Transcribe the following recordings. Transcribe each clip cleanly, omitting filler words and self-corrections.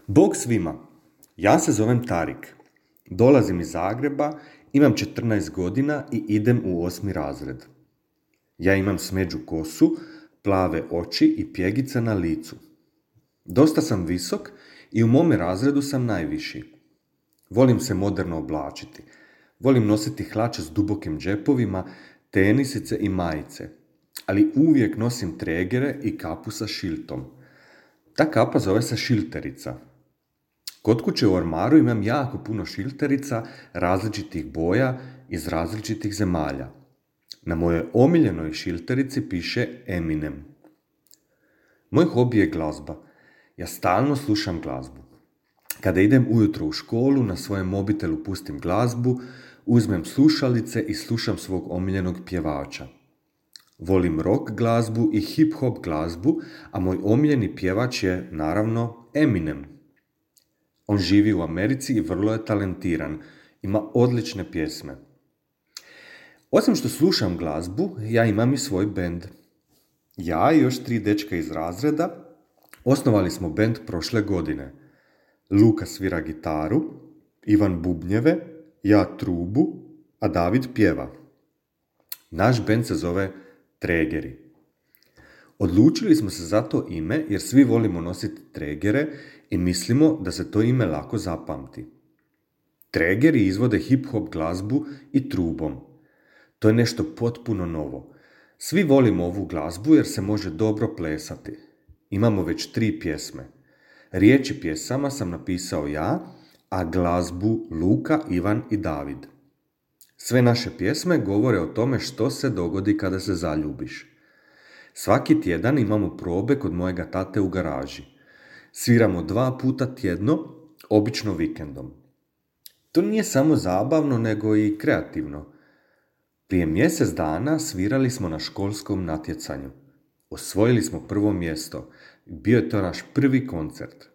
Bog svima, ja se zovem Tarik. Dolazim iz Zagreba, imam 14 godina i idem u 8. razred. Ja imam smeđu kosu, plave oči i pjegice na licu. Dosta sam visok i u mome razredu sam najviši. Volim se moderno oblačiti. Volim nositi hlače s dubokim džepovima, tenisice i majice. Ali uvijek nosim tregere i kapu sa šiltom. Ta kapa zove se šilterica. Kod kuće u ormaru imam jako puno šilterica različitih boja iz različitih zemalja. Na mojoj omiljenoj šilterici piše Eminem. Moj hobi je glazba. Ja stalno slušam glazbu. Kada idem ujutro u školu, na svojem mobitelu pustim glazbu, uzmem slušalice i slušam svog omiljenog pjevača. Volim rock glazbu i hip-hop glazbu, a moj omiljeni pjevač je, naravno, Eminem. On živi u Americi i vrlo je talentiran. Ima odlične pjesme. Osim što slušam glazbu, ja imam i svoj bend. Ja i još 3 dečka iz razreda osnovali smo bend prošle godine. Luka svira gitaru, Ivan bubnjeve, ja trubu, a David pjeva. Naš bend se zove Tregeri. Odlučili smo se za to ime jer svi volimo nositi tregere i mislimo da se to ime lako zapamti. Tregeri izvode hip-hop glazbu i trubom. To je nešto potpuno novo. Svi volimo ovu glazbu jer se može dobro plesati. Imamo već 3 pjesme. Riječi pjesama sam napisao ja, a glazbu Luka, Ivan i David. Sve naše pjesme govore o tome što se dogodi kada se zaljubiš. Svaki tjedan imamo probe kod mojega tate u garaži. Sviramo 2 puta tjedno, obično vikendom. To nije samo zabavno, nego i kreativno. Prije mjesec dana svirali smo na školskom natjecanju. Osvojili smo 1. mjesto. Bio je to naš prvi koncert.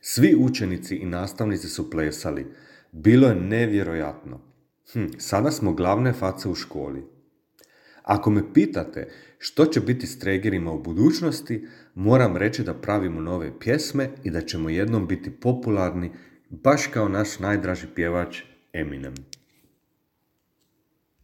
Svi učenici i nastavnici su plesali. Bilo je nevjerojatno. Sada smo glavne face u školi. Ako me pitate što će biti s Tregerima u budućnosti, moram reći da pravimo nove pjesme i da ćemo jednom biti popularni, baš kao naš najdraži pjevač Eminem.